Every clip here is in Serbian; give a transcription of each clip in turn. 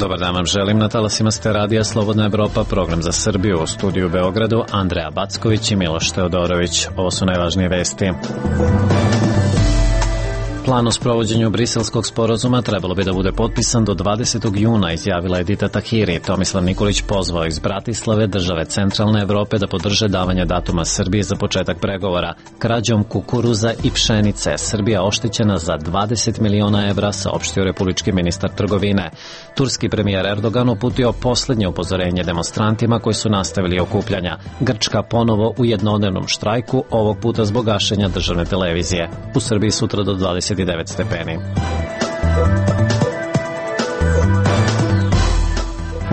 Dobar dan vam želim, na talasima ste radija Slobodna Evropa, program za Srbiju, u studiju u Beogradu Andreja Backović i Miloš Teodorović. Ovo su najvažnije vesti. Plan o sprovođenju Briselskog sporazuma trebalo bi da bude potpisan do 20. juna, izjavila Edita Tahiri. Tomislav Nikolić pozvao iz Bratislave države centralne Evrope da podrže davanje datuma Srbije za početak pregovora. Krađom kukuruza i pšenice Srbija oštećena za 20 miliona evra, saopštio republički ministar trgovine. Turski premijer Erdogan uputio poslednje upozorenje demonstrantima koji su nastavili okupljanja. Grčka ponovo u jednodnevnom štrajku, ovog puta zbog gašenja državne televizije. U Srbiji sutra do 29 stepeni.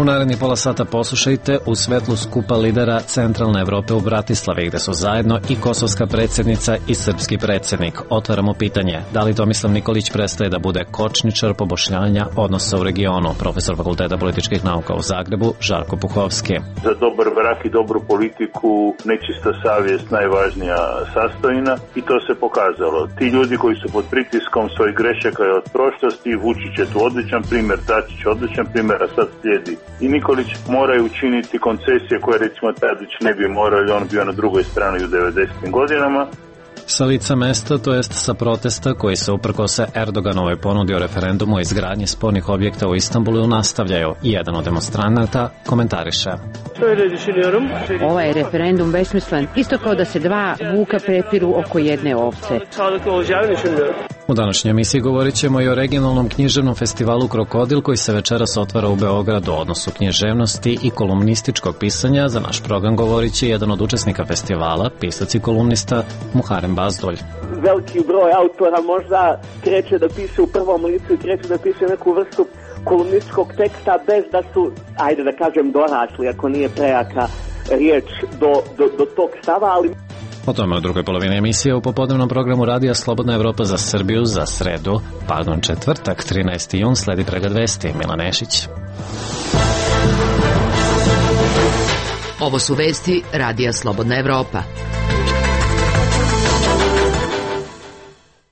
U naredni pola sata poslušajte u svetlu skupa lidera centralne Evrope u Bratislavi, gde su zajedno i kosovska predsjednica i srpski predsjednik. Otvaramo pitanje, da li Tomislav Nikolić prestaje da bude kočničar poboljšanja odnosa u regionu? Profesor Fakulteta političkih nauka u Zagrebu, Žarko Puhovski. Za dobar brak i dobru politiku nečista savjest najvažnija sastojina i to se pokazalo. Ti ljudi koji su pod pritiskom svojih grešaka od prošlosti, Vučić je tu odličan primjer, Dačić odličan primjer, a sad slijedi i Nikolić, moraju učiniti koncesije koje recimo Tadić ne bi morali, on bio na drugoj strani u 90. godinama. Sa lica mesta, to jest sa protesta koji se uprkos Erdoganovoj ponudi o referendumu o izgradnji spornih objekta u Istanbulu nastavljaju. Jedan od demonstranata komentariše. Ovaj je referendum besmislen, isto kao da se dva vuka prepiru oko jedne ovce. U današnjoj emisiji govorit ćemo i o regionalnom književnom festivalu Krokodil koji se večeras otvara u Beogradu, o odnosu književnosti i kolumnističkog pisanja. Za naš program govorit će jedan od učesnika festivala, pisac i kolumnista Muharem Bazdulj. Veliki broj autora možda kreće da piše u prvom licu i kreće da piše neku vrstu kolumnističkog teksta bez da su, ajde da kažem, dorasli, ako nije prejaka riječ do tog stava, ali... O tome u drugoj polovini emisije u popodnevnom programu radija Slobodna Evropa za Srbiju za četvrtak, 13. jun, sledi pregled vesti. Milan Nešić. Ovo su vesti radija Slobodna Evropa.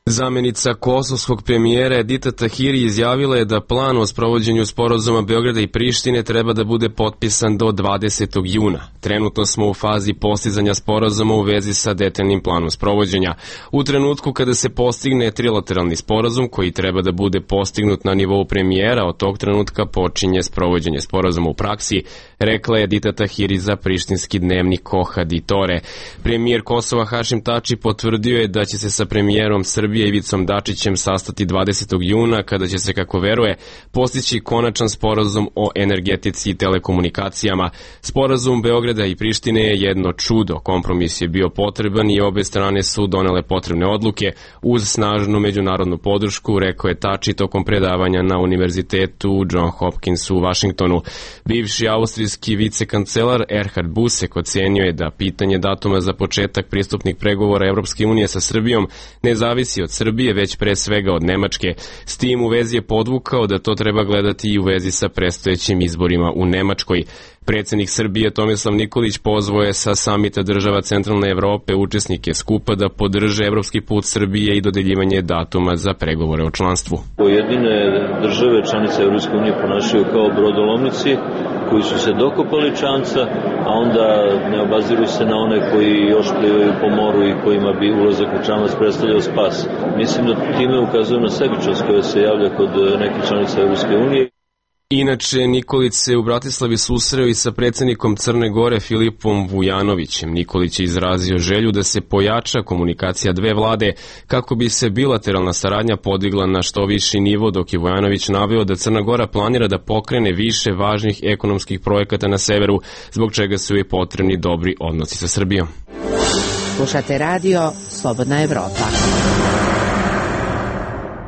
Zamenica kosovskog premijera Edita Tahiri izjavila je da plan o sprovođenju sporazuma Beograda i Prištine treba da bude potpisan do 20. juna. Trenutno smo u fazi postizanja sporazuma u vezi sa detaljnim planom sprovođenja. U trenutku kada se postigne trilateralni sporazum koji treba da bude postignut na nivou premijera, od tog trenutka počinje sprovođenje sporazuma u praksi, rekla je Edita Tahiri za prištinski dnevnik Koha di Tore. Premijer Kosova Hašim Tači potvrdio je da će se sa premijerom Srbije Ivicom Dačićem sastati 20. juna, kada će se, kako veruje, postići konačan sporazum o energetici i telekomunikacijama. Sporazum Beograda i Prištine je jedno čudo. Kompromis je bio potreban i obe strane su donele potrebne odluke uz snažnu međunarodnu podršku, rekao je Tači tokom predavanja na univerzitetu John Hopkins u Vašingtonu. Bivši austrijski vicekancelar Erhard Busek ocenio je da pitanje datuma za početak pristupnih pregovora Evropske unije sa Srbijom ne zavisi od Srbije, već pre svega od Nemačke. S tim u vezi je podvukao da to treba gledati i u vezi sa predstojećim izborima u Nemačkoj. Predsjednik Srbije Tomislav Nikolić pozvao je sa samita država Centralne Evrope učesnike skupa da podrže evropski put Srbije i dodeljivanje datuma za pregovore o članstvu. Pojedine države članice Evropske unije ponašaju kao brodolomnici koji su se dokopali čamca, a onda ne obaziru se na one koji još plivaju po moru i kojima bi ulazak u čamac predstavljao spas. Mislim da time ukazuje na sebičnost koja se javlja kod nekih članica Evropske unije. Inače, Nikolić se u Bratislavi susreo i sa predsjednikom Crne Gore Filipom Vujanovićem. Nikolić je izrazio želju da se pojača komunikacija dve vlade kako bi se bilateralna saradnja podigla na što viši nivo, dok je Vujanović naveo da Crna Gora planira da pokrene više važnih ekonomskih projekata na severu, zbog čega su joj potrebni dobri odnosi sa Srbijom. Slušate radio Slobodna Evropa.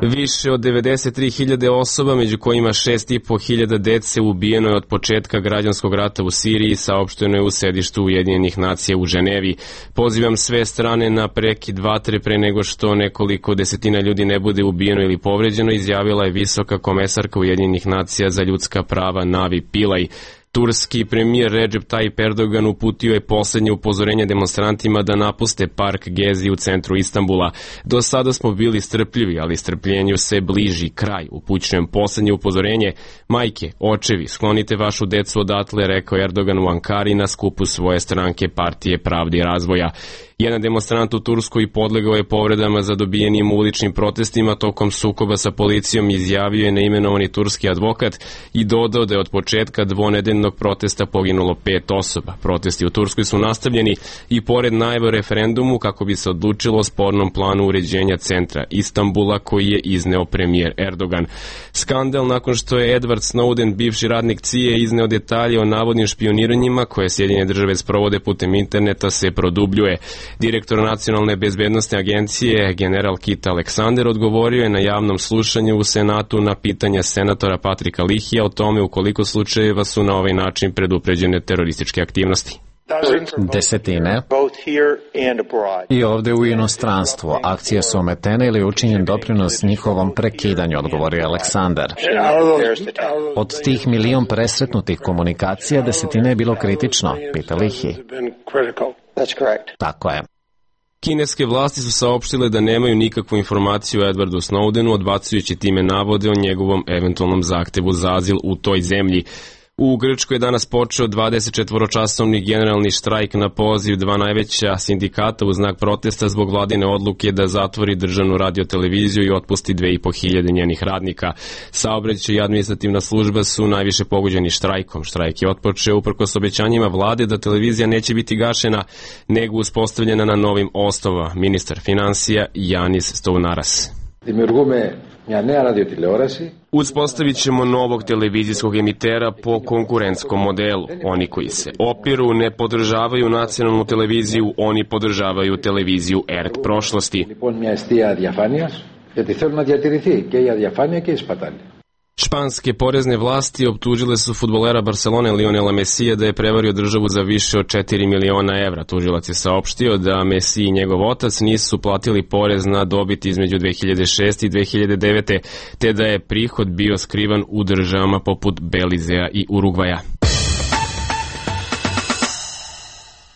Više od 93.000 osoba, među kojima 6.500 dece, ubijeno je od početka građanskog rata u Siriji, saopšteno je u sedištu Ujedinjenih nacija u Ženevi. Pozivam sve strane na prekid vatre pre nego što nekoliko desetina ljudi ne bude ubijeno ili povređeno, izjavila je visoka komesarka Ujedinjenih nacija za ljudska prava Navi Pillay. Turski premijer Recep Tayyip Erdogan uputio je poslednje upozorenje demonstrantima da napuste park Gezi u centru Istanbula. Do sada smo bili strpljivi, ali strpljenju se bliži kraj. Upućujem poslednje upozorenje. Majke, očevi, sklonite vašu decu odatle, rekao Erdogan u Ankari na skupu svoje stranke Partije pravde i razvoja. Jedan demonstrant u Turskoj podlegao je povredama za dobijenim uličnim protestima tokom sukoba sa policijom, izjavio je neimenovani turski advokat i dodao da je od početka dvonedeljnog protesta poginulo 5 osoba. Protesti u Turskoj su nastavljeni i pored najave o referendumu kako bi se odlučilo o spornom planu uređenja centra Istanbula koji je izneo premijer Erdogan. Skandal nakon što je Edward Snowden, bivši radnik CIA, izneo detalje o navodnim špioniranjima koje Sjedinjene države sprovode putem interneta se produbljuje. Direktor Nacionalne bezbednosne agencije, general Kit Alexander, odgovorio je na javnom slušanju u Senatu na pitanja senatora Patrika Lihija o tome u koliko slučajeva su na ovaj način predupređene terorističke aktivnosti. Desetine i ovde u inostranstvu. Akcije su ometene ili učinjen doprinos njihovom prekidanju, odgovorio Aleksandar. Od tih 1 milion presretnutih komunikacija, desetine je bilo kritično, pita Lihi. Tako je. Kineske vlasti su saopštile da nemaju nikakvu informaciju o Edwardu Snowdenu, odbacujući time navode o njegovom eventualnom zahtevu za azil u toj zemlji. U Grčkoj je danas počeo 24-časovni generalni štrajk na poziv 2 najveća sindikata u znak protesta zbog vladine odluke da zatvori državnu radioteleviziju i otpusti 2.500 njenih radnika. Saobraćaj i administrativna služba su najviše pogođeni štrajkom. Štrajk je otpočeo uprkos obećanjima vlade da televizija neće biti gašena, nego uspostavljena na novim osnovama. Ministar finansija Janis Stounaras. Uspostavit ćemo novog televizijskog emitera po konkurentskom modelu. Oni koji se opiru ne podržavaju nacionalnu televiziju, oni podržavaju televiziju ERT prošlosti. Španske porezne vlasti optužile su fudbalera Barcelone Lionela Messija da je prevario državu za više od 4 miliona evra. Tužilac je saopštio da Messi i njegov otac nisu platili porez na dobit između 2006. i 2009. te da je prihod bio skrivan u državama poput Belizea i Urugvaja.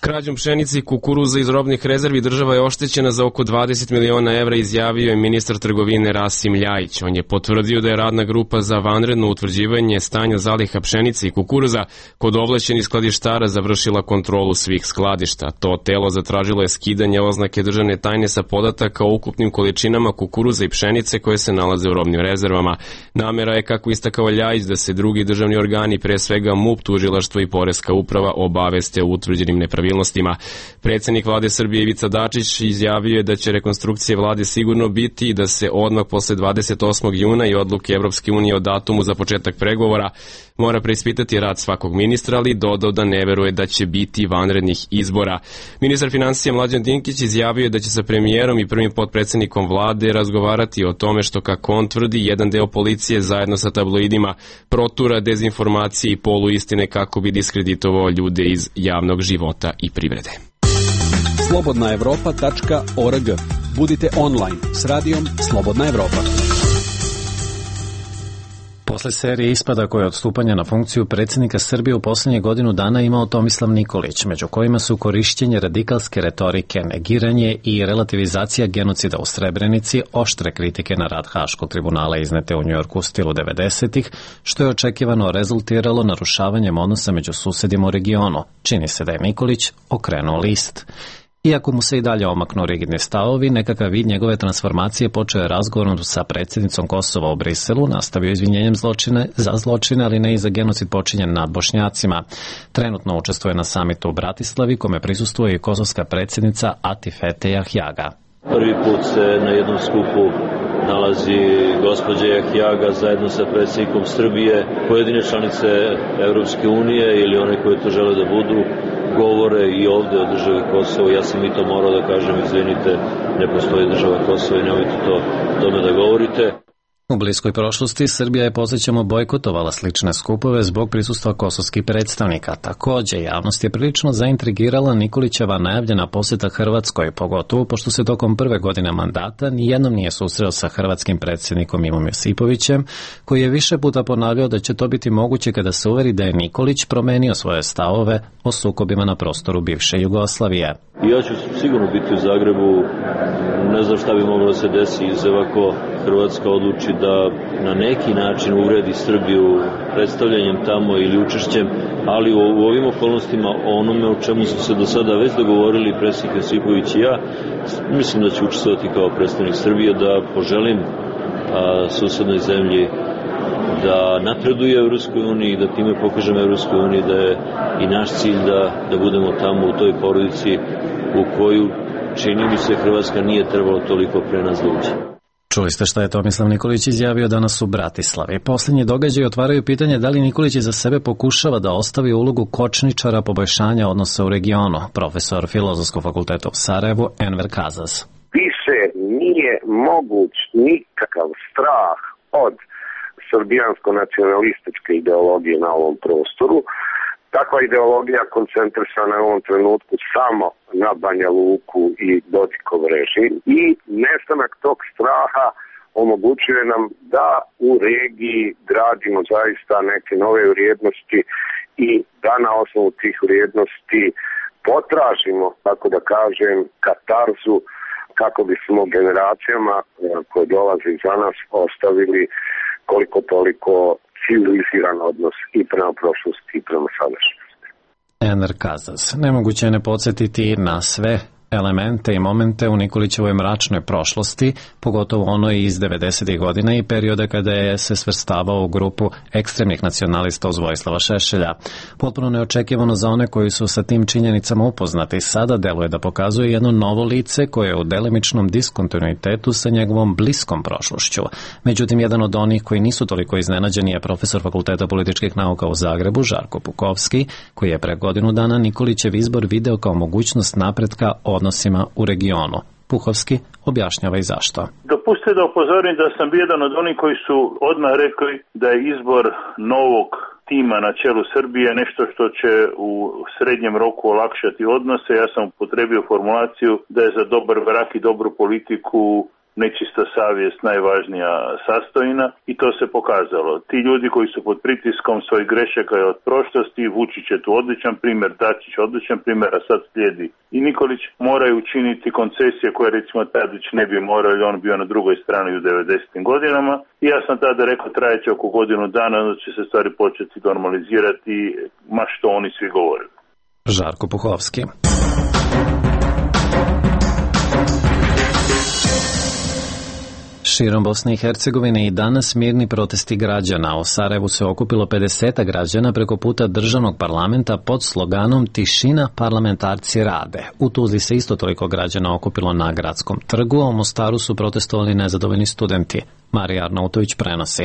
Krađom pšenice i kukuruza iz robnih rezervi država je oštećena za oko 20 miliona evra, izjavio je ministar trgovine Rasim Ljajić. On je potvrdio da je radna grupa za vanredno utvrđivanje stanja zaliha pšenice i kukuruza kod ovlašćenih skladištara završila kontrolu svih skladišta. To telo zatražilo je skidanje oznake državne tajne sa podataka o ukupnim količinama kukuruza i pšenice koje se nalaze u robnim rezervama. Namera je, kako istakao Ljajić, da se drugi državni organi, pre svega MUP, tužilaštvo i poreska uprava, obaveste o utvrđenim nepravilnostima. Predsednik vlade Srbije Ivica Dačić izjavio je da će rekonstrukcija vlade sigurno biti i da se odmah posle 28. juna i odluke Evropske unije o datumu za početak pregovora mora preispitati rad svakog ministra, ali dodao da ne veruje da će biti vanrednih izbora. Ministar finansija Mlađan Dinkić izjavio je da će sa premijerom i prvim potpredsednikom vlade razgovarati o tome što, kako on tvrdi, jedan deo policije zajedno sa tabloidima protura dezinformacije i poluistine kako bi diskreditovao ljude iz javnog života i privrede. slobodnaevropa.org. Budite online s radijom Slobodna Evropa. Posle serije ispada koje je od stupanja na funkciju predsjednika Srbije u poslednje godinu dana imao Tomislav Nikolić, među kojima su korišćenje radikalske retorike, negiranje i relativizacija genocida u Srebrenici, oštre kritike na rad Haškog tribunala iznete u Njujorku u stilu 90-ih, što je očekivano rezultiralo narušavanjem odnosa među susedima u regionu. Čini se da je Nikolić okrenuo list. Iako mu se i dalje omaknu rigidni stavovi, nekakav vid njegove transformacije počeo je razgovorom sa predsjednicom Kosova u Briselu, nastavio izvinjenjem za zločine, ali ne i za genocid počinjen nad Bošnjacima. Trenutno učestvuje na samitu u Bratislavi, kome prisustvuje i kosovska predsjednica Atifete Jahjaga. Prvi put se na jednom skupu nalazi gospođa Jahjaga zajedno sa predsjednikom Srbije. Pojedine članice Evropske unije ili one koje to žele da budu govore i ovde o državi Kosovo. Ja sam i to morao da kažem, izvinite, ne postoji država Kosovo i nemojte tome da govorite. U bliskoj prošlosti Srbija je, podsjećamo, bojkotovala slične skupove zbog prisustva kosovskih predstavnika. Također, javnost je prilično zaintrigirala Nikolićeva najavljena posjeta Hrvatskoj, pogotovo pošto se tokom prve godine mandata nijednom nije susreo sa hrvatskim predsjednikom Ivom Josipovićem, koji je više puta ponavljao da će to biti moguće kada se uveri da je Nikolić promenio svoje stavove o sukobima na prostoru bivše Jugoslavije. Ja ću sigurno biti u Zagrebu, ne znam šta bi moglo da se desi ako Hrvatska odluči da na neki način uvredi Srbiju predstavljanjem tamo ili učešćem, ali u ovim okolnostima onome o čemu su se do sada već dogovorili predsjednik Josipović i ja, mislim da ću učestvovati kao predstavnik Srbije, da poželim susednoj zemlji da napreduje u Evropskoj uniji, da time pokažemo Evropskoj uniji da je i naš cilj da budemo tamo u toj porodici u koju, čini mi se, Hrvatska nije trebalo toliko pre nas da uđe. Čuli ste šta je Tomislav Nikolić izjavio danas u Bratislavi. Posljednji događaji otvaraju pitanje da li Nikolić za sebe pokušava da ostavi ulogu kočničara poboljšanja odnosa u regionu. Profesor Filozofskog fakulteta u Sarajevu, Enver Kazas. Više nije moguć nikakav strah od srbijansko-nacionalističke ideologije na ovom prostoru. Takva ideologija koncentrisana je u ovom trenutku samo na Banja Luku i Dodikov režim i nestanak tog straha omogućuje nam da u regiji gradimo zaista neke nove vrijednosti i da na osnovu tih vrijednosti potražimo, tako da kažem, katarzu kako bismo generacijama koje dolaze iza nas ostavili koliko toliko civiliziran odnos i prema prošlosti i prema sadašnjosti. Enver Kazas. Nemoguće je ne podsjetiti na sve elemente i momente u Nikolićevoj mračnoj prošlosti, pogotovo onoj iz 90. godina i perioda kada je se svrstavao u grupu ekstremnih nacionalista uz Vojislava Šešelja. Potpuno neočekivano za one koji su sa tim činjenicama upoznati, sada deluje da pokazuje jedno novo lice koje je u delimičnom diskontinuitetu sa njegovom bliskom prošlošću. Međutim, jedan od onih koji nisu toliko iznenađeni je profesor Fakulteta političkih nauka u Zagrebu, Žarko Puhovski, koji je pre godinu dana Nikolićev izbor video kao mogućnost napretka odnosima u regionu. Puhovski objašnjava i zašto. Dopustite da upozorim da sam jedan od onih koji su odmah rekli da je izbor novog tima na čelu Srbije nešto što će u srednjem roku olakšati odnose. Ja sam upotrebio formulaciju da je za dobar brak i dobru politiku nečista savjest najvažnija sastojina i to se pokazalo. Ti ljudi koji su pod pritiskom svojih grešaka od prošlosti, Vučić je tu odličan primjer, Dačić odličan primjer, a sad slijedi i Nikolić, moraju učiniti koncesije koje recimo Tadić ne bi morao, jer on bio na drugoj strani u 90. godinama. I ja sam tada rekao trajeće oko godinu dana, onda će se stvari početi normalizirati, ma što oni svi govorili. Žarko Puhovski. Širom Bosne i Hercegovine i danas mirni protesti građana. U Sarajevu se okupilo 50 građana preko puta državnog parlamenta pod sloganom Tišina, parlamentarci rade. U Tuzli se isto toliko građana okupilo na Gradskom trgu, a u Mostaru su protestovali nezadovoljni studenti. Marija Arnautović prenosi.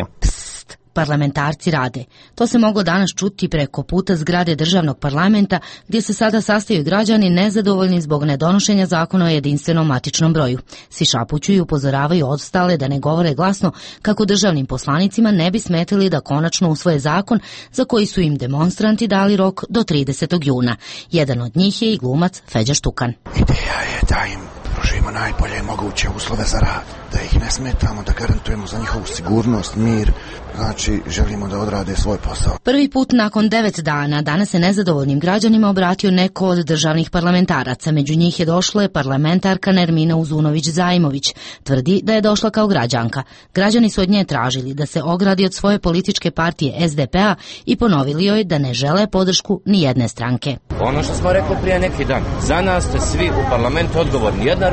Parlamentarci rade. To se moglo danas čuti preko puta zgrade državnog parlamenta gdje se sada sastaju građani nezadovoljni zbog nedonošenja zakona o jedinstvenom matičnom broju. Svi šapuću i upozoravaju ostale da ne govore glasno kako državnim poslanicima ne bi smetili da konačno usvoje zakon za koji su im demonstranti dali rok do 30. juna. Jedan od njih je i glumac Feđa Štukan. Ideja je da im pružimo najbolje moguće uslove za rad, da ih ne smetamo, da garantujemo za njihovu sigurnost, mir, znači želimo da odrade svoj posao. Prvi put nakon 9 dana danas se nezadovoljnim građanima obratio neko od državnih parlamentaraca. Među njih je došla je parlamentarka Nermina Uzunović-Zajmović. Tvrdi da je došla kao građanka. Građani su od nje tražili da se ogradi od svoje političke partije SDP-a i ponovili joj da ne žele podršku ni jedne stranke. Ono što smo rekli prije neki dan, za nas ste svi u parlamentu odgovorni. Jedna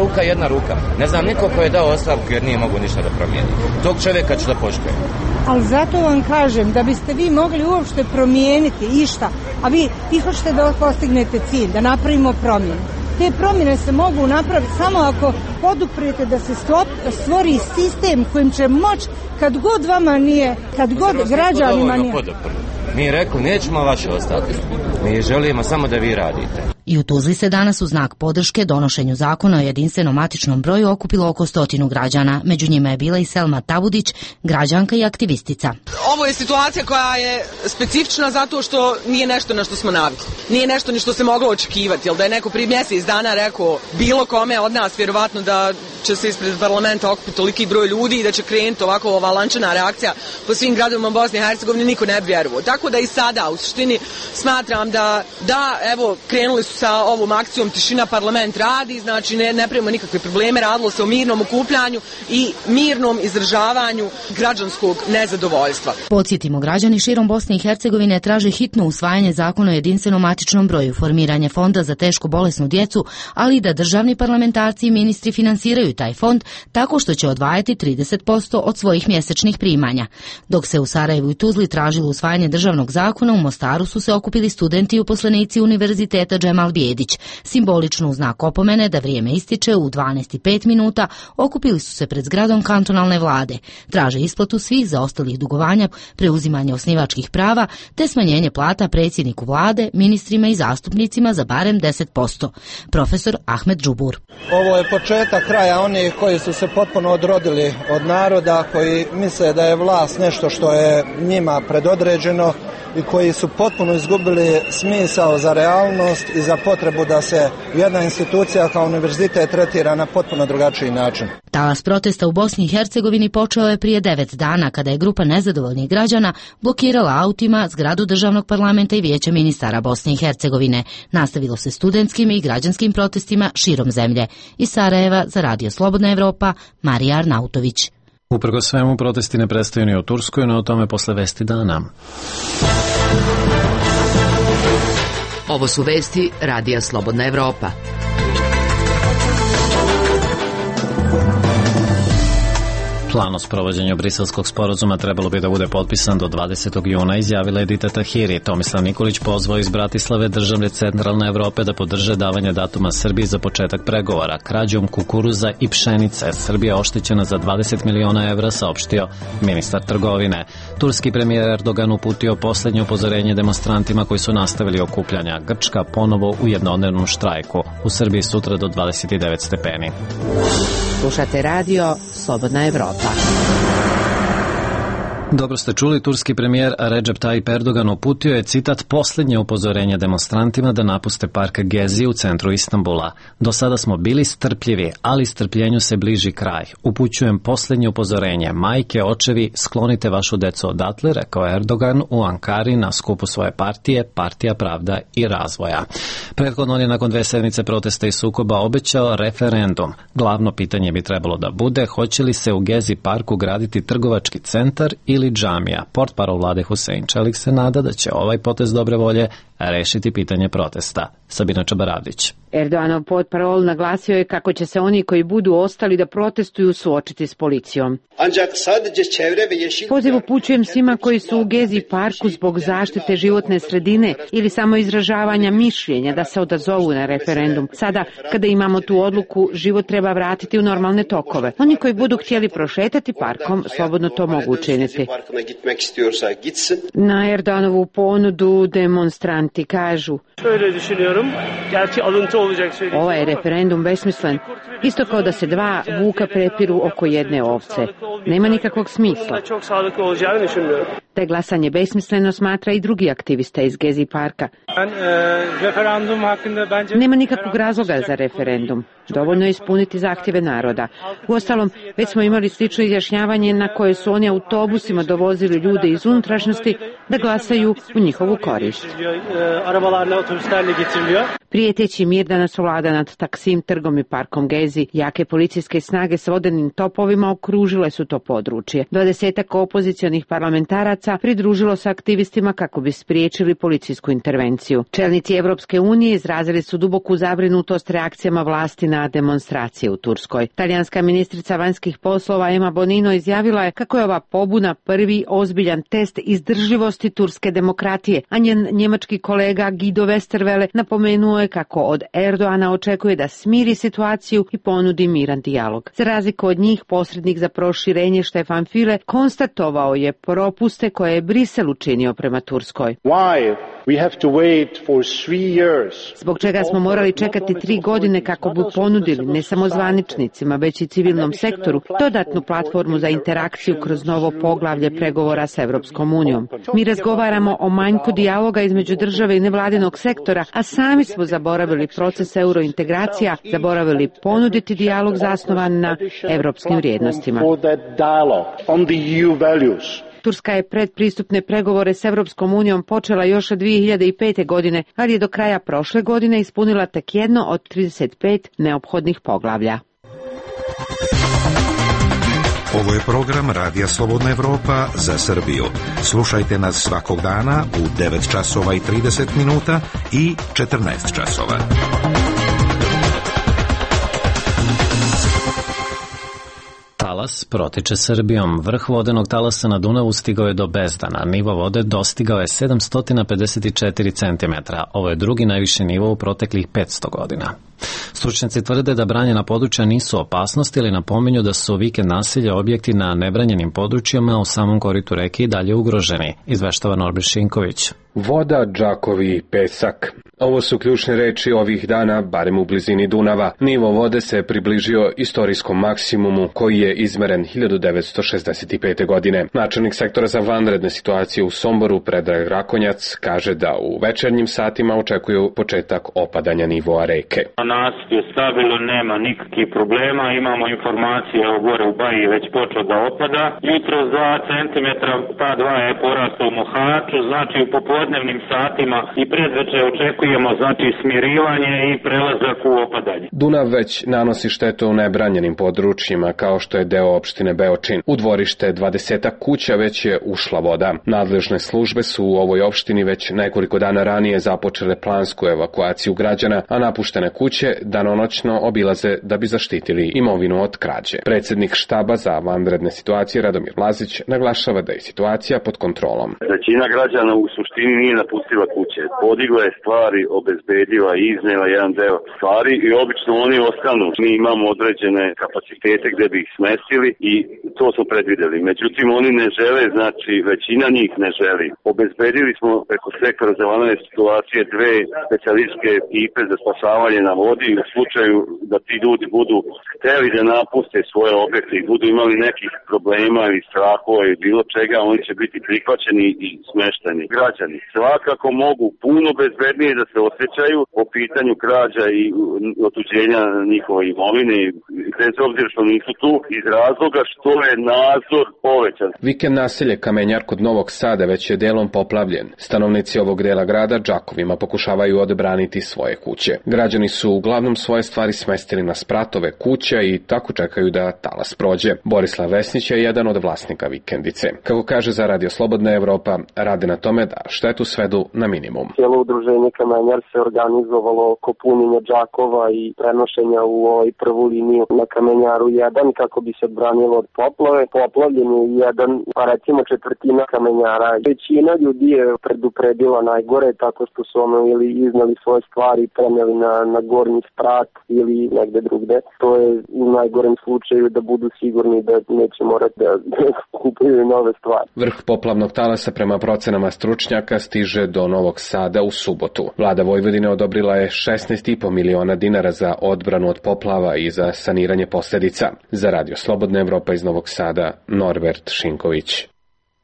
ruka. Ne znam niko ko je dao ostavku jer nije mogu ništa da promijeni. Tog čovjeka ću da poštujem. Ali zato vam kažem da biste vi mogli uopšte promijeniti išta, a vi hoćete da postignete cilj, da napravimo promjenu. Te promjene se mogu napraviti samo ako poduprete da se stvori sistem kojim će moći kad god vama nije, kad god građanima nije. Mi rekli nećemo vaše ostati, mi želimo samo da vi radite. I u Tuzli se danas u znak podrške donošenju zakona o jedinstvenom matičnom broju okupilo oko 100 građana. Među njima je bila i Selma Tabudić, građanka i aktivistica. Ovo je situacija koja je specifična zato što nije nešto na što smo navikli. Nije nešto ni što se moglo očekivati, jer da je neko prije mjesec dana rekao bilo kome od nas, vjerovatno da će se ispred parlamenta okupiti toliki broj ljudi i da će krenuti ovako ova lančana reakcija po svim gradovima Bosne i Hercegovine, niko ne bi vjerovao. Tako da i sada u suštini smatram da evo krenuli su sa ovom akcijom Tišina, parlament radi, znači ne pravimo nikakve probleme, radilo se o mirnom okupljanju i mirnom izražavanju građanskog nezadovoljstva. Podsjetimo, građani širom Bosne i Hercegovine traže hitno usvajanje zakona o jedinstvenom matičnom broju, formiranje fonda za teško bolesnu djecu, ali i da državni parlamentarci i ministri finansiraju taj fond tako što će odvajati 30% od svojih mjesečnih primanja. Dok se u Sarajevu i Tuzli tražilo usvajanje državnog zakona, u Mostaru su se okupili studenti i uposlenici Univerziteta Džemal Bijedić. Simbolično u znak opomene da vrijeme ističe u 12:05 minuta okupili su se pred zgradom kantonalne vlade. Traže isplatu svih zaostalih dugovanja, preuzimanje osnivačkih prava te smanjenje plata predsjedniku vlade, ministrima i zastupnicima za barem 10%. Profesor Ahmed Džubur. Ovo je početak kraja onih koji su se potpuno odrodili od naroda, koji misle da je vlast nešto što je njima predodređeno i koji su potpuno izgubili smisao za realnost i za potrebu da se jedna institucija kao univerzitet tretira na potpuno drugačiji način. Talas protesta u Bosni i Hercegovini počeo je prije 9 dana kada je grupa nezadovoljnih građana blokirala autima zgradu državnog parlamenta i vijeća ministara Bosne i Hercegovine. Nastavilo se studentskim i građanskim protestima širom zemlje. Iz Sarajeva za Radio Slobodna Evropa, Marija Arnautović. Uprkos svemu, protesti ne prestaju ni u Turskoj, no o tome posle vesti dana. Ovo su vesti Radija Slobodna Evropa. Plan o sprovođenju Briselskog sporazuma trebalo bi da bude potpisan do 20. juna, izjavila Edita Tahiri. Tomislav Nikolić pozvao iz Bratislave države centralne Evrope da podrže davanje datuma Srbiji za početak pregovora. Krađom kukuruza i pšenice Srbija oštećena za 20 miliona evra, saopštio ministar trgovine. Turski premijer Erdogan uputio posljednje upozorenje demonstrantima koji su nastavili okupljanja. Grčka ponovo u jednodnevnom štrajku. U Srbiji sutra do 29 stepeni. Slušate radio Slobodna Evropa. Dobro ste čuli, turski premijer Recep Tayyip Erdogan uputio je, citat, posljednje upozorenje demonstrantima da napuste park Gezi u centru Istanbula. Do sada smo bili strpljivi, ali strpljenju se bliži kraj. Upućujem posljednje upozorenje. Majke, očevi, sklonite vašu decu odatle, rekao Erdogan u Ankari na skupu svoje partije, Partija pravda i razvoja. Prethodno on je nakon 2 sedmice protesta i sukoba obećao referendum. Glavno pitanje bi trebalo da bude hoće li se u Gezi parku graditi trgovački centar ili džamija. Portparol vlade Husein Čelik se nada da će ovaj potez dobre volje rešiti pitanje protesta. Sabina Čabaravdić. Erdoganov portparol naglasio je kako će se oni koji budu ostali da protestuju suočiti s policijom. Poziv upućujem svima koji su u Gezi parku zbog zaštite životne sredine ili samo izražavanja mišljenja da se odazovu na referendum. Sada, kada imamo tu odluku, život treba vratiti u normalne tokove. Oni koji budu htjeli prošetati parkom, slobodno to mogu učiniti. Na Erdoganovu ponudu demonstranti kažu: ovaj referendum besmislen, isto kao da se 2 vuka prepiru oko jedne ovce. Nema nikakvog smisla. Da je glasanje besmisleno smatra i drugi aktivista iz Gezi parka. Nema nikakvog razloga za referendum. Dovoljno je ispuniti zahtjeve naroda. Uostalom, već smo imali slično izjašnjavanje na koje su oni autobusima dovozili ljude iz unutrašnjosti da glasaju u njihovu korist. Prijeteći mir danas vlada nad Taksim trgom i parkom Gezi. Jake policijske snage s vodenim topovima okružile su to područje. 20 opozicionih parlamentaraca pridružilo se aktivistima kako bi spriječili policijsku intervenciju. Čelnici Evropske unije izrazili su duboku zabrinutost reakcijama vlasti na demonstracije u Turskoj. Talijanska ministrica vanjskih poslova Emma Bonino izjavila je kako je ova pobuna prvi ozbiljan test izdržljivosti budućnosti turske demokratije, a njen njemački kolega Guido Westerwelle napomenuo je kako od Erdoana očekuje da smiri situaciju i ponudi miran dijalog. Za razliku od njih, posrednik za proširenje Stefan Füle konstatovao je propuste koje je Brisel učinio prema Turskoj. Zbog čega smo morali čekati 3 godine kako bi ponudili ne samo zvaničnicima, već i civilnom sektoru dodatnu platformu za interakciju kroz novo poglavlje pregovora s Evropskom unijom. Mi razgovaramo o manjku dijaloga između države i nevladinog sektora, a sami smo zaboravili proces eurointegracija, zaboravili ponuditi dijalog zasnovan na evropskim vrijednostima. Turska je predpristupne pregovore s Evropskom unijom počela još od 2005. godine, ali je do kraja prošle godine ispunila tek jedno od 35 neophodnih poglavlja. Ovo je program Radija Slobodna Evropa za Srbiju. Slušajte nas svakog dana u 9 časova i 30 minuta i 14 časova. Talas protiče Srbijom. Vrh vodenog talasa na Dunavu stigao je do Bezdana. Nivo vode dostigao je 754 cm. Ovo je drugi najviši nivo u proteklih 500 godina. Stručnjaci tvrde da branjena područja nisu opasnost ili napominju da su vikend naselja objekti na nebranjenim područjima u samom koritu reke i dalje ugroženi, izveštava Norbert Šinković. Voda, džakovi, pesak. Ovo su ključne reči ovih dana, barem u blizini Dunava. Nivo vode se približio istorijskom maksimumu koji je izmeren 1965. godine. Načelnik sektora za vanredne situacije u Somboru, Predrag Rakonjac, kaže da u večernjim satima očekuju početak opadanja nivoa reke. Nasip je stabilno, nema nikakvih problema, imamo informacije o gore u Baji već počeo da opada. Jutro 2 cm, pa 2 je porastao u Mohaču, znači u popodnevnim satima i predveče očekujemo znači smirivanje i prelazak u opadanje. Dunav već nanosi štetu u nebranjenim područjima kao što je deo opštine Beočin. U dvorište 20 kuća već je ušla voda. Nadležne službe su u ovoj opštini već nekoliko dana ranije započele plansku evakuaciju građana, a napuštene kuće danonoćno obilaze da bi zaštitili imovinu od krađe. Predsjednik štaba za vanredne situacije Radomir Lazić naglašava da je situacija pod kontrolom. Većina građana u suštini nije napustila kuće. Podigla je stvari, obezbedila i iznela jedan deo stvari i obično oni ostanu. Mi imamo određene kapacitete gde bi ih smestili i to smo predvideli. Međutim, oni ne žele, znači većina njih ne želi. Obezbedili smo preko sektora za vanredne situacije 2 specijalističke ekipe za spasavanje na vodi u slučaju da ti ljudi budu hteli da napuste svoje objekte i budu imali nekih problema ili strahova ili bilo čega, oni će biti prihvaćeni i smešteni. Građani svakako mogu puno bezbednije da se osjećaju po pitanju krađa i otuđenja njihove imovine, bez obzira što nisu tu, iz razloga što je nadzor povećan. Vikend naselje Kamenjar kod Novog Sada već je delom poplavljen. Stanovnici ovog dela grada džakovima pokušavaju odbraniti svoje kuće. Građani su uglavnom svoje stvari smestili na spratove kuća i tako čekaju da talas prođe. Borislav Vesnić je jedan od vlasnika vikendice. Kako kaže za Radio Slobodna Evropa, rade na tome da štetu svedu na minimum. Cijelo udruženje Kamenjar se organizovalo oko punjenja džakova i prenošenja u prvu liniju na Kamenjaru 1 kako bi se odbranilo od poplave. Poplavljen je jedan, pa recimo četvrtina Kamenjara. Većina ljudi je predupredila najgore tako što su ili iznali svoje stvari i preneli na gornji sprat ili negde drugde. To je u najgorem slučaju da budu sigurni da neće morati da kupuju nove stvari. Vrh poplavnog talasa prema procenama stručnjaka stiže do Novog Sada u subotu. Vlada Vojvodine odobrila je 16,5 miliona dinara za odbranu od poplava i za saniranje posljedica. Za Radio Slobodna Evropa iz Novog Sada, Norbert Šinković.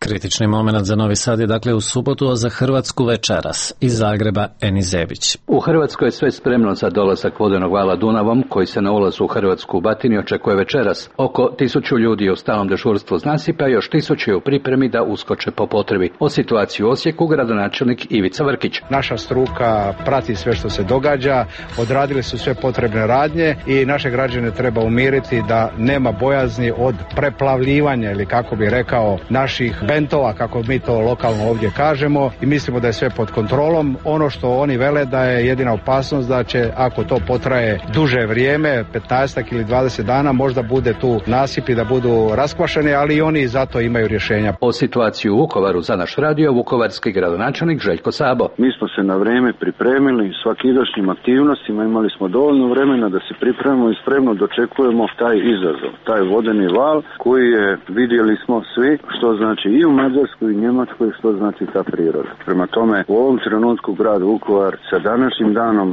Kritični moment za Novi Sad je dakle u subotu, a za Hrvatsku večeras. Iz Zagreba Eni Zebić. U Hrvatskoj je sve spremno za dolazak vodenog vala Dunavom, koji se na ulazu u Hrvatsku u Batini očekuje večeras. Oko 1000 ljudi je u stalnom dežurstvu s nasipa i još 1000 je u pripremi da uskoče po potrebi. O situaciji u Osijeku gradonačelnik Ivica Vrkić. Naša struka prati sve što se događa, odradili su sve potrebne radnje i naše građane treba umiriti da nema bojazni od preplavljivanja ili kako bi rekao naših bentova, kako mi to lokalno ovdje kažemo, i mislimo da je sve pod kontrolom. Ono što oni vele da je jedina opasnost da će, ako to potraje duže vrijeme, 15 ili 20 dana, možda bude tu nasipi da budu raskvašeni, ali i oni zato imaju rješenja. O situaciji u Vukovaru za naš radio vukovarski gradonačelnik Željko Sabo. Mi smo se na vrijeme pripremili svakidašnjim aktivnostima, imali smo dovoljno vremena da se pripremimo i spremno dočekujemo taj izazov, taj vodeni val koji je, vidjeli smo svi što znači i u Mađarskoj i Njemačkoj, što znači ta priroda. Prema tome, u ovom trenutku grad Vukovar sa današnjim danom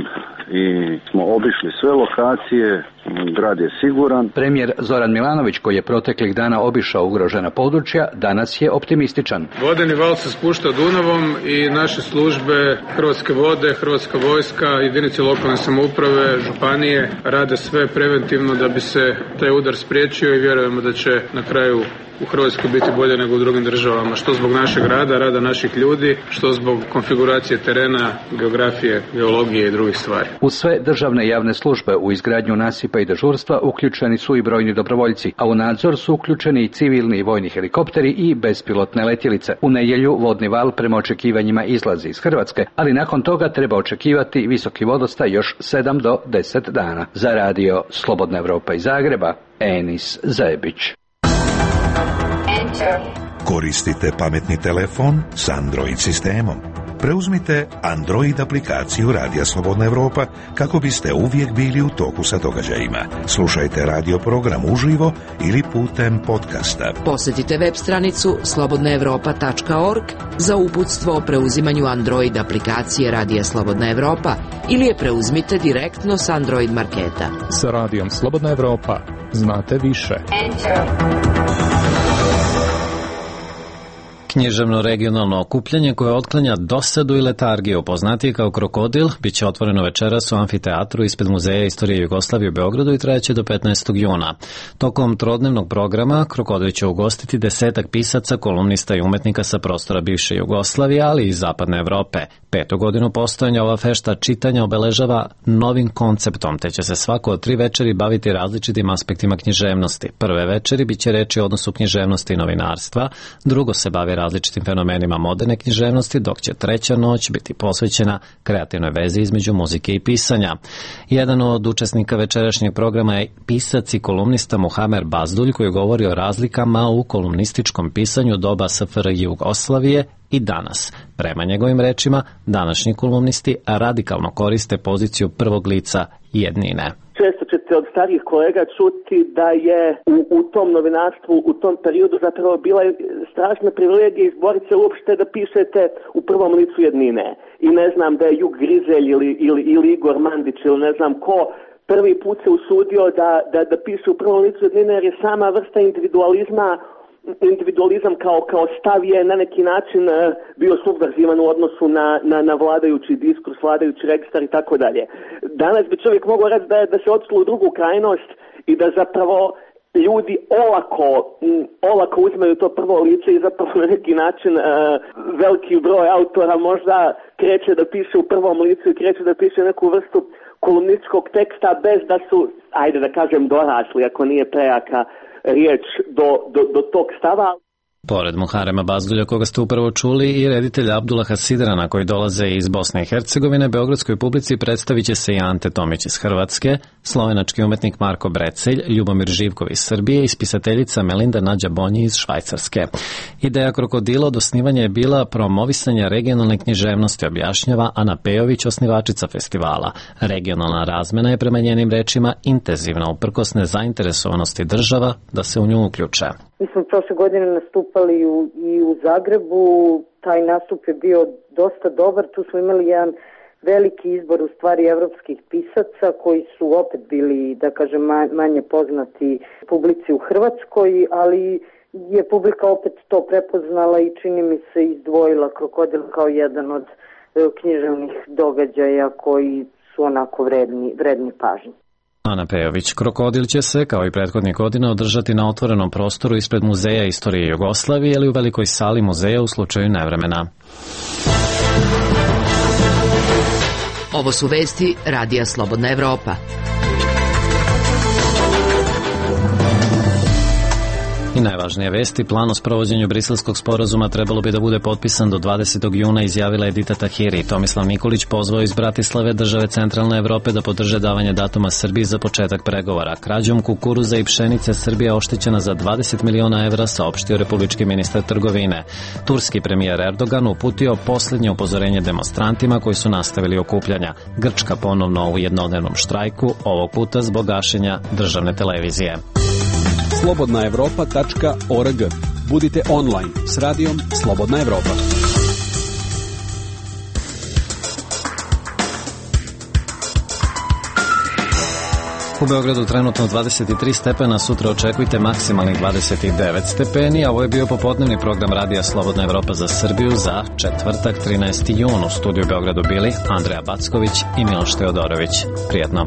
i smo obišli sve lokacije, grad je siguran. Premijer Zoran Milanović, koji je proteklih dana obišao ugrožena područja, danas je optimističan. Vodeni val se spušta Dunavom i naše službe, Hrvatske vode, Hrvatska vojska, jedinice lokalne samouprave, županije rade sve preventivno da bi se taj udar spriječio i vjerujemo da će na kraju u Hrvatskoj biti bolje nego u drugim državama, što zbog našeg rada naših ljudi, što zbog konfiguracije terena, geografije, geologije i drugih stvari. U sve državne i javne službe u izgradnju nasipa i dežurstva uključeni su i brojni dobrovoljci, a u nadzor su uključeni i civilni i vojni helikopteri i bespilotne letjelice. U nedjelju vodni val prema očekivanjima izlazi iz Hrvatske, ali nakon toga treba očekivati visoki vodostaj još 7 do 10 dana. Za radio Slobodna Evropa iz Zagreba, Enis Zajebić. Koristite pametni telefon s Android sistemom. Preuzmite Android aplikaciju Radija Slobodna Evropa kako biste uvijek bili u toku sa događajima. Slušajte radio program uživo ili putem podcasta. Posjetite web stranicu slobodnaevropa.org za uputstvo o preuzimanju Android aplikacije Radija Slobodna Evropa ili je preuzmite direktno s Android marketa. Sa Radijom Slobodna Evropa znate više. Književno regionalno okupljanje koje otklanja dosadu i letargiju, poznatije kao Krokodil, bit će otvoreno večeras u amfiteatru ispred Muzeja istorije Jugoslavije u Beogradu i trajeće do 15. juna. Tokom trodnevnog programa Krokodil će ugostiti 10 pisaca, kolumnista i umetnika sa prostora bivše Jugoslavije, ali i zapadne Evrope. 5. godinu postojanja ova fešta čitanja obeležava novim konceptom, te će se svako od 3 večeri baviti različitim aspektima književnosti. Prve večeri bit će reči o odnosu književnosti i novinarstva, drugo se bavi različitim fenomenima moderne književnosti, dok će treća noć biti posvećena kreativnoj vezi između muzike i pisanja. Jedan od učesnika večerašnjeg programa je pisac i kolumnista Muhamer Bazdulj, koji govori o razlikama u kolumnističkom pisanju doba SFRJ Jugoslavije i danas. Prema njegovim rečima, današnji kolumnisti radikalno koriste poziciju prvog lica jednine. Često ćete od starijih kolega čuti da je u tom novinarstvu, u tom periodu zapravo bila strašna privilegija izboriti se uopšte da pišete u prvom licu jednine. I ne znam da je Jug Grizelj ili Igor Mandić ili ne znam ko prvi put se usudio da piše u prvom licu jednine, jer je sama vrsta individualizam kao stav je na neki način bio subverzivan u odnosu na vladajući diskurs, vladajući registar i tako dalje. Danas bi čovjek mogao reći da se odšlo u drugu krajnost i da zapravo ljudi olako uzmeju to prvo lice i zapravo na neki način veliki broj autora možda kreće da piše u prvom licu i kreće da piše neku vrstu kolumnističkog teksta bez da su, ajde da kažem, dorasli, ako nije prejaka riječ do tog stava. Pored Muharema Bazdulja, koga ste upravo čuli, i reditelja Abdullaha Sidrana, koji dolaze iz Bosne i Hercegovine, beogradskoj publici predstavit će se i Ante Tomić iz Hrvatske, slovenački umetnik Marko Brecelj, Ljubomir Živkov iz Srbije i spisateljica Melinda Nađa Bonji iz Švajcarske. Ideja Krokodila od osnivanja je bila promovisanje regionalne književnosti, objašnjava Ana Pejović, osnivačica festivala. Regionalna razmena je prema njenim rečima intenzivna uprkos nezainteresovanosti država da se u nju uključe. Mi smo prošle godine nastupali i u Zagrebu, taj nastup je bio dosta dobar, tu smo imali jedan veliki izbor u stvari evropskih pisaca koji su opet bili, da kažem, manje poznati publici u Hrvatskoj, ali je publika opet to prepoznala i čini mi se izdvojila Krokodil kao jedan od književnih događaja koji su onako vredni pažnje. Ana Pejović. Krokodil će se, kao i prethodnih godina, održati na otvorenom prostoru ispred Muzeja istorije Jugoslavije ili u velikoj sali muzeja u slučaju nevremena. Ovo su vesti Radija Slobodna Evropa. I najvažnije vesti, plan o sprovođenju briselskog sporazuma trebalo bi da bude potpisan do 20. juna, izjavila Edita Tahiri. Tomislav Nikolić pozvao iz Bratislave, države centralne Evrope, da podrže davanje datuma Srbiji za početak pregovora. Krađom kukuruza i pšenice Srbija oštećena za 20 miliona evra, saopštio republički ministar trgovine. Turski premijer Erdogan uputio posljednje upozorenje demonstrantima koji su nastavili okupljanja. Grčka ponovno u jednodnevnom štrajku, ovog puta zbog gašenja državne televizije. slobodnaevropa.org. Budite online s radijom Slobodna Evropa. U Beogradu trenutno 23 stepena, sutra očekujte maksimalnih 29 stepeni, a ovo je bio popodnevni program radija Slobodna Evropa za Srbiju za četvrtak 13. jun. U studiju Beogradu bili Andreja Backović i Miloš Teodorović. Prijetno.